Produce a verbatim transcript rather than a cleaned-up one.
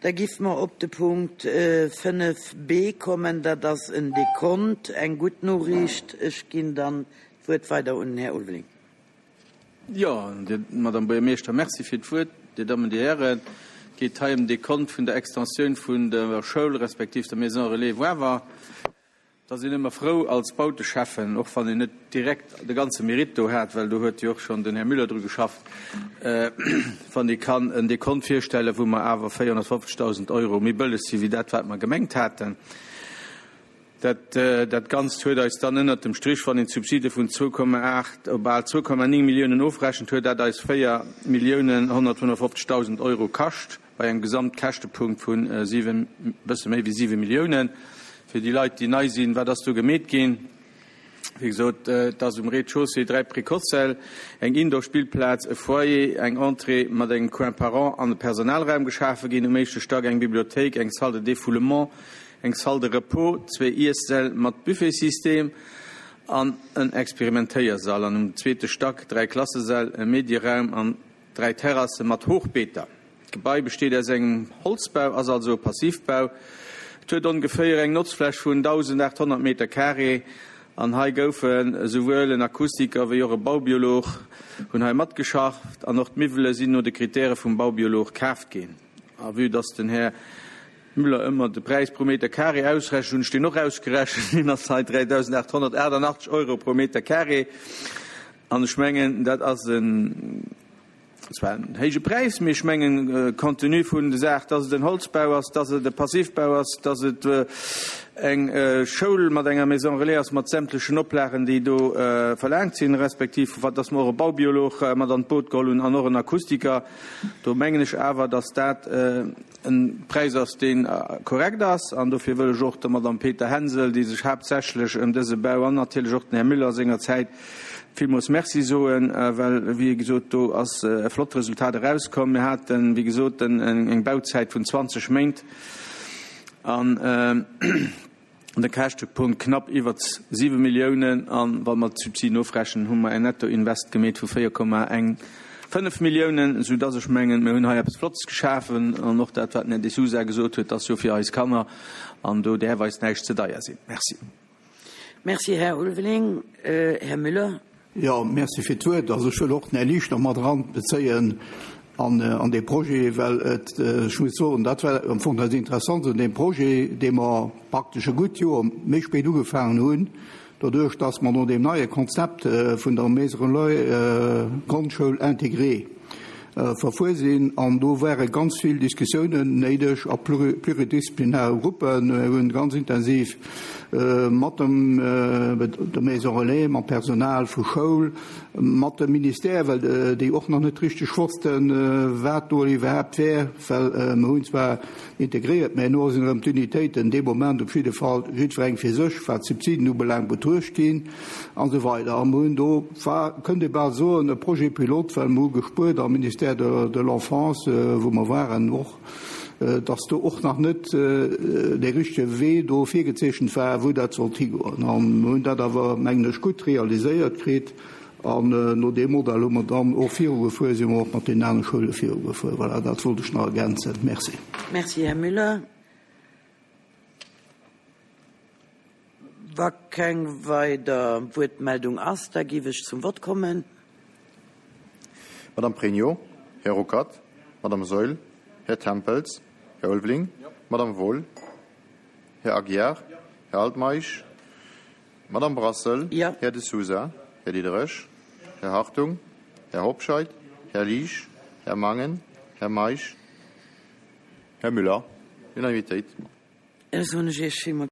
Da giff mer op de Punkt fënnef B kommen. Dat ass en Dekont, eng gutt Noriicht. Ech ginn dann d'Wuert weider un den Här Ulveling. Jo, Madame Buergermeeschter, merci fir d'Wuert. Dir Dammen, Dir Hären, et geet hei ëm Dekont vun der Extensioun vun der Schoul respektiv der Maison Relais Woawer. Da sinn ëmmer frou als Bauteschäffen, och wann een net direkt de ganze Mérite do hat, well do huet jo och schonn den Här Müller dru geschafft, wann ee kann en Dekont virstellen, wou mer awer véierhonnertfofzegdausend Euro méi bëlleg si wéi dat, wat mer gemengt haten. Dat, dat Ganzt huet eis dann ënnert dem Strich, wann een d'Subside vun zwou Komma aacht op bal zwou Komma néng Milliounen ofrechent, huet dat eis véier Milliounen honnertfënnefofzegdausend Euro kascht, bei engem Gesamtkäschtepunkt vun siwen, bësse méi wéi siwe Milliounen. Fir déi Leit, déi nei sinn, wat ass do gemeet ginn? Wéi gesot, et ass um Rez-de-chaussée dräi Précoce-Säll, eng Indoor-Spillplaz, e Foyer, eng Entrée mat engem Coin parent an e Personalraum geschafe ginn, um éischte Stack eng Bibliothéik, eng Salle de défoulement, eng Salle de repos, zwee Iessäll mat Buffetsystem an en Experimentéiersall, an um zweete Stack dräi Klassesäll, e Medieraum an dräi Terrasse mat Hochbeeter. D'Gebai besteet aus engem Holzbau, ass also e Passivbau. Et huet ongeféier eng Notzfläch vun dausendachthonnert Meter carré an hei goufen esouwuel en Akustiker wéi och e Baubiolog hunn hei matgeschafft an och d'Miwwele sinn no de Kritäre vum Baubiolog kaaft ginn. A vue dass den Här Müller ëmmer de Präis pro Meter carré ausrechent, hunn ech deen och ausgerechent. Deen ass hei dräidausendachthonnertachtundachtzeg Euro pro Meter carré an ech mengen, dat ass en zwar en héije Präis, mee ech mengen, compte tenu vun der Saach, dass et en Holzbau ass, dass et e Passivbau ass, dass et eng Schoul mat enger Maison relais ass mat sämtlechen Oplagen, déi do verlaangt sinn, respektiv dass mer och e Baubiolog mat an d'Boot geholl hunn an och en Akustiker, do mengen ech awer, dass dat en Präis ass, deen korrekt ass. An dofir wëll ech och der Madame Peter Hensel, déi sech haaptsächlech ëm dëse Bau an natierlech och den Här Müller sengerzäit villmools Merci soen, well, wéi gesot, do ass e flott Resultat erauskomm. Mir haten, wéi gesot, eng Bauzäit vun zwanzeg Méint an de Käschtepunkt knapp iwwer siwe Milliounen. An wa mer d'Subsiden ofrechnen, hu mer en Nettoinvest gemeet vu véier Komma eng fënnef Milliounen, soudass ech mengen, mir hunn hei eppes Flottes geschafen. An och dat, wat den Här De Sousa gesot huet, ass jo fir eis Kanner an do däerf eis näischt ze deier sinn. Merci. Merci, Här Ulveling. Här Müller. Jo, merci fir d'Wuert. Also ech wëll och den Här Lichter mat eranbezéien an, an dee Projet, well et, ech muss soen, dat war am Fong dat Interessant un deem Projet, dee mer praktesch e gutt Joer méi spéit ugefaangen hunn, doduerch dass mer no deem neie Konzept vun der Maison Relais Grondschoul intégrée verfuer sinn. An do ware ganz vill Diskussiounen néideg a pluridisziplinäre Gruppen. Mir hunn ganz intensiv mat dem der Maison Relais, mam Personal vu Schoul, mat dem Ministère, well déi och nach net richteg wossten, wat do iwwerhaapt wär, well mer hunn zwar integréiert, mä elo sinn erëm d'Unitéiten dee Moment op jidde Fall jiddwereng fir sech, wat d'Subsiden ubelaangt, betruecht ginn an esou weider. A mer hunn do, war, kënnt ee bal soen, e Projet pilote, well mer hu gespuert am Ministère de, de l'Enfance, wou mer waren och, dass do och nach net dee richtege Wee do virgezeechent war, wou dat sollt higoen. An mer hunn dat awer, mengen ech, gutt realiséiert kritt. An no deem Modell hu mer dann och virugefuer, si mer och mat den anere Schoule virugefuer. Voilà, dat wollt ech nach ergänzen. Merci. Merci, Här Müller. Wa keng weider Wuertmeldung ass, da géif ech zum Wort kommen. Madame Pregno, Här Ruckert, Madame Saeul, Här Tempels, Här Ulveling, Madame Wohl, Här Aguiar, Här Altmeisch, Madame Brassel, Ja. Här De Sousa, Här Diderich, Här Hartung, Här Hobscheit, Här Liesch, Här Mangen, Här Meisch, Här Müller. Unanimitéit. Ech soen Iech villmools